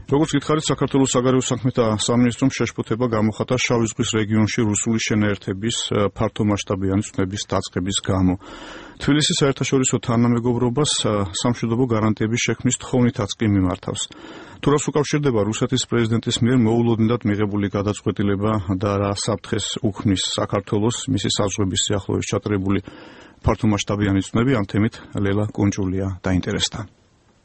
როგორც გითხარით, საქართველოს საგარეო საქმეთა სამინისტრომ შეშფოთება გამოხატა შავი ზღვის რეგიონში რუსული შენაერთების ფართომასშტაბიანი ცნების დაწყების გამო. თბილისის საერთაშორისო თანამეგობრობას სამშვიდობო გარანტიების შექმნის თხოვნითაც კი მიმართავს. თუ რას უკავშირდება რუსეთის პრეზიდენტის მიერ მოულოდნელად მიღებული გადაწყვეტილება და რა საფრთხეს უქმნის საქართველოს მისი საზღვრების სიახლოვეს ჩატარებული ფართომასშტაბიანი ცნები, ამ თემით ლელა კუნჭულია დაინტერესდა.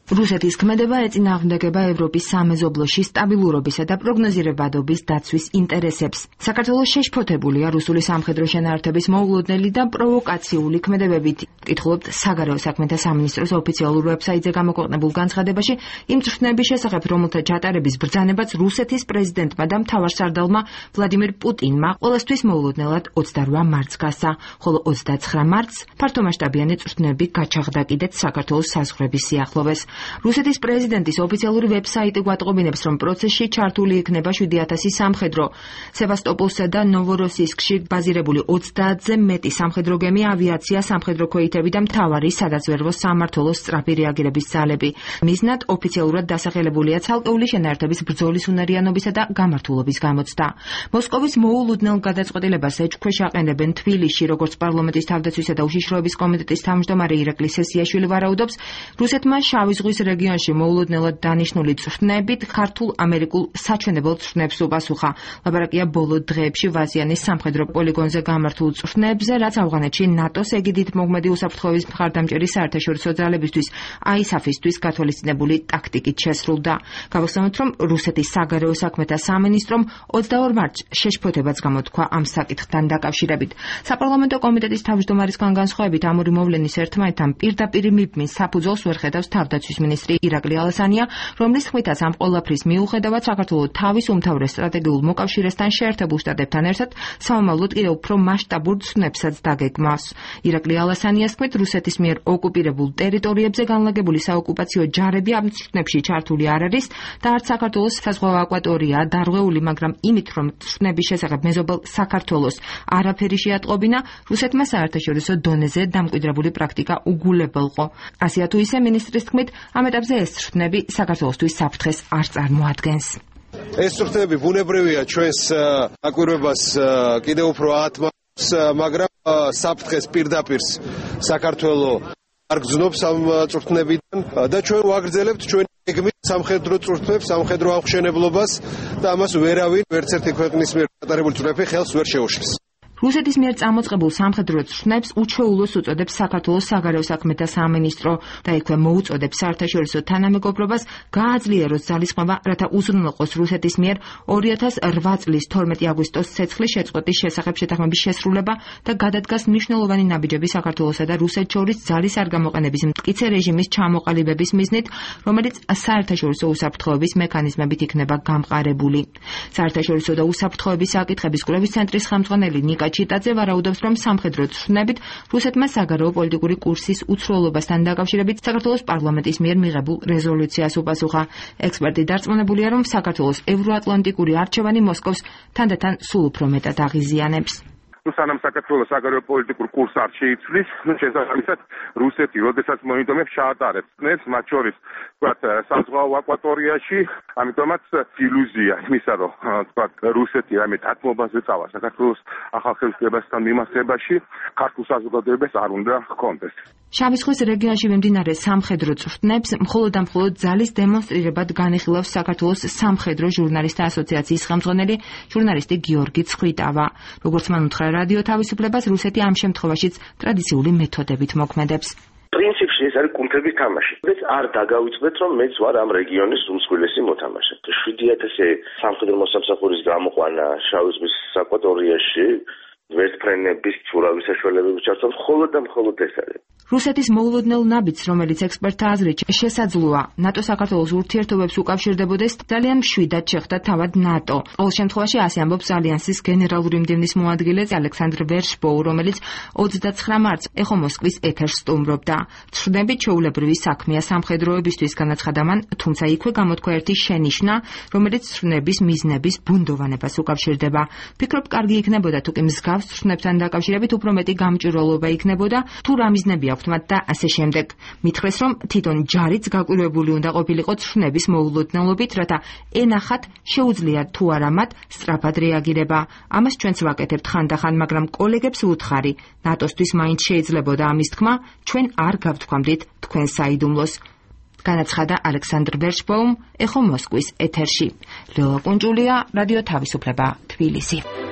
რუსეთის ქმედება ეწინააღმდეგება ევროპის სამეზობლოში სტაბილურობისა და პროგნოზირებადობის დაცვის ინტერესებს. საქართველოს შეშფოთებულია რუსული სამხედრო შენაერთების მოულოდნელი და პროვოკაციული ქმედებებით. კითხულობთ საგარეო საქმეთა სამინისტროს ოფიციალურ ვებსაიტზე გამოქვეყნებულ განცხადებაში იმ წვრთნების შესახებ, რომელთა ჩატარების ბრძანებაც რუსეთის პრეზიდენტმა და მთავარსარდალმა ვლადიმირ პუტინმა ყოველთვის მოულოდნელად 28 მარტს გასცა, ხოლო 29 მარტს ფართომასშტაბიანი წვრთნები გაჩაღდა კიდეც საქართველოს საზღვრების სიახლოვეს. რუსეთის პრეზიდენტის ოფიციალური ვებსაიტი გვატყობინებს, რომ პროცესში ჩართული იქნება 7000 სამხედრო. სევასტოპოლსა და ნოვოროსისკში ბაზირებული 30-ზე მეტი სამხედრო გემი, ავიაცია, სამხედრო ქვეითები და მთავარი სადაზვერვო სამმართველოს სწრაფი რეაგირების ძალები. მიზნად ოფიციალურად დასახელებულია ცალკეული შენაერთების ბრძოლის უნარიანობისა და გამართულობის გამოცდა. მოსკოვის მოულოდნელ გადაწყვეტილებას ეჭქვეშ აყენებენ თბილისში, როგორც პარლამენტის თავდაცვისა და უშიშროების კომიტეტის თავმჯდომარე ირაკლი სესიაშვილი ვარაუდობს, რუსეთმა შავი ზღვის რეგიონში მოულოდნელად დანიშნული წვრთნებით ქართულ-ამერიკულ საჩვენებელ წვრთნებს უპასუხა. ლაპარაკია ბოლო დღეებში ვაზიანის სამხედრო პოლიგონზე გამართულ წვრთნებზე, რაც ავღანეთში ნატოს ეგიდით მოგმედი უსაფრთხოების მხარდამჭერი საერთაშორისო ძალებისთვის ISAF-ისთვის გათვალისწინებული ტაქტიკით შესრულდა. გავახსენოთ, რომ რუსეთის საგარეო საქმეთა სამინისტრომ 22 მარტს შეშფოთებაც გამოთქვა ამ საკითხთან დაკავშირებით. საპარლამენტო კომიტეტის თავმჯდომარისგან განსხვავებით, ამური მოვლენის ერთმანეთთან პირდაპირ მიბმის საფუძველს ვერ ხედავს თავდაცვის მინისტრი ირაკლი ალასანია, რომლის თქმითაც ამ ყველაფრის მიუხედავად საქართველოს თავის უმთავრეს სტრატეგიულ მოკავშირესთან შეერთებულ შტატებთან ერთად სამომავლოდ კიდევ უფრო მასშტაბურ ცნებსაც დაგეგმავს. ირაკლი ალასანიას თქმით, რუსეთის მიერ ოკუპირებულ ტერიტორიებზე განლაგებული საოკუპაციო ჯარები ამ ცნებში ჩართული არ არის და არც საქართველოს საზღვაო აკვატორია დარღვეული, მაგრამ იმით, რომ ცნების შესახებ მეზობელ საქართველოს არაფერი შეატყობინა, რუსეთმა საერთაშორისო დონეზე დამკვიდრებული პრაქტიკა უგულებელყო. ასეა თუ ისე მინისტრის თქმით, ამ ეტაპზე ეს ცნები საქართველოსთვის საფრთხეს არ წარმოადგენს. ეს ცნები ბუნებრივია ჩვენს აკვირვებას კიდევ უფრო ათმობს, მაგრამ საფრთხეს პირდაპირ საქართველოს არ გრძნობს ამ წვრთნებიდან და ჩვენ ვაგრძელებთ ჩვენი გეგმით სამხედრო წვრთნებს, სამხედრო აღმშენებლობას და ამას ვერავინ ვერცერთი ქვეყნის მიერ ჩატარებული წვრთნები ხელს ვერ შეუშლის. რუსეთის მიერ წამოწყებულ სამხედრო ცხრნებს უჩვეულოს უწოდებს საქართველოს საგარეო საქმეთა სამინისტრო და იქვე მოუწოდებს საერთაშორისო თანამეგობრობას გააძლიეროს ძალისხმევა, რათა უზრუნველყოს რუსეთის მიერ 2008 წლის 12 აგვისტოს ცეცხლის შეწყვეტის შესახებ შეთანხმების შესრულება და გადადგას მნიშვნელოვანი ნაბიჯები საქართველოსა და რუსეთს შორის ძალის არ გამოყენების მტკიცე რეჟიმის ჩამოყალიბების მიზნით, რომელიც საერთაშორისო უსაფრთხოების მექანიზმებით იქნება გამყარებული. საერთაშორისო და უსაფრთხოების საკითხების კვლევის ცენტრის ხელმძღვანელი ნიკა ჩიტაძე ვარაუდობს, რომ სამხედრო ცხრნებით რუსეთმა საგარეო პოლიტიკური კურსის უცვლელობასთან დაკავშირებით საქართველოს პარლამენტის მიერ მიღებულ რეზოლუციას უპასუხა. ექსპერტი დარწმუნებულია, რომ საქართველოს ევროატლანტიკური არჩევანი მოსკოვს თანდათან სულ უფრო მეტად აღიზიანებს. სანამ საქართველოს საგარეო პოლიტიკურ კურსს არ შეიცვლის, შესაბამისად რუსეთი, როდესაც მონიტომებს ჩაატარებს წნეს, მათ შორის თქვათ საზღვაო აკვატორიაში, ამიტომაც ილუზია იმისა, რომ თქვათ რუსეთი რამე დათმობაზე წავა საქართველოს ახალ ხელისუფლებასთან მიმართებაში, ქართულ საზოგადოებას არ უნდა ჰქონდეს. შავი ზღვის რეგიონში მიმდინარე სამხედრო წვრთნებს მხოლოდ და მხოლოდ ძალის დემონსტრირებად განიხილავს საქართველოს სამხედრო ჟურნალისტთა ასოციაციის ხელმძღვანელი ჟურნალისტი გიორგი ცხვიტავა. როგორც მან უთხრა რადიო თავისუფლებას, რუსეთი ამ შემთხვევაშიც ტრადიციული მეთოდებით მოქმედებს. პრინციპში ეს არის კუნთების თამაში. ეს არ დაგავიწყდეთ, რომ მეც ვარ ამ რეგიონის უმსხვილესი მოთამაშე. 7000 სამხედრო მოსამსახურის გამოყვანა შავი ზღვის აკვატორიაში ვერტფრენების ცურავი საშუალებები ჩართო მხოლოდ და მხოლოდ ეს არის. რუსეთის მოულოდნელ ნაბიჯს, რომელიც ექსპერტთა აზრით შესაძლოა ნატო-საქართველოს ურთიერთობებს უკავშირდებოდეს, ძალიან მშვიდად შეხვდა თავად ნატო. ყოველ შემთხვევაში ასე ამბობს ალიანსის გენერალური მდივნის მოადგილე ალექსანდრ ვერშბოუ, რომელიც 29 მარტს ეხო მოსკვის ეთერს სტუმრობდა. ცხრნები ჩვეულებრივი საქმეა სამხედროებისთვის, განაცხადა მან, თუმცა იქვე გამოთქვა ერთი შენიშვნა, რომელიც ცხრნების მიზნების ბუნდოვანებას უკავშირდება. ფიქრობ, კარგი იქნებოდა თუ კი მსგავს მსგავს ცხრნებთან დაკავშირებით უფრო მეტი გამჭვირვალობა იქნებოდა, თუ რა მიზნები აქვთ მათ და ასე შემდეგ. მითხრეს, რომ თვითონ ჯარიც გაკვირვებული უნდა ყოფილიყო ცხრნების მოულოდნელობით, რათა ენახათ შეუძლიათ თუ არა მათ სწრაფად რეაგირება. ამას ჩვენც ვაკეთებთ ხანდახან, მაგრამ კოლეგებს ვუთხარი, ნატოსთვის მაინც შეიძლებოდა ამის თქმა, ჩვენ არ გავთქვამდით თქვენ საიდუმლოს. განაცხადა ალექსანდრ ბერშბოუმ, ეხო მოსკვის ეთერში. ლელა კუნჭულია, რადიო თავისუფლება, თბილისი.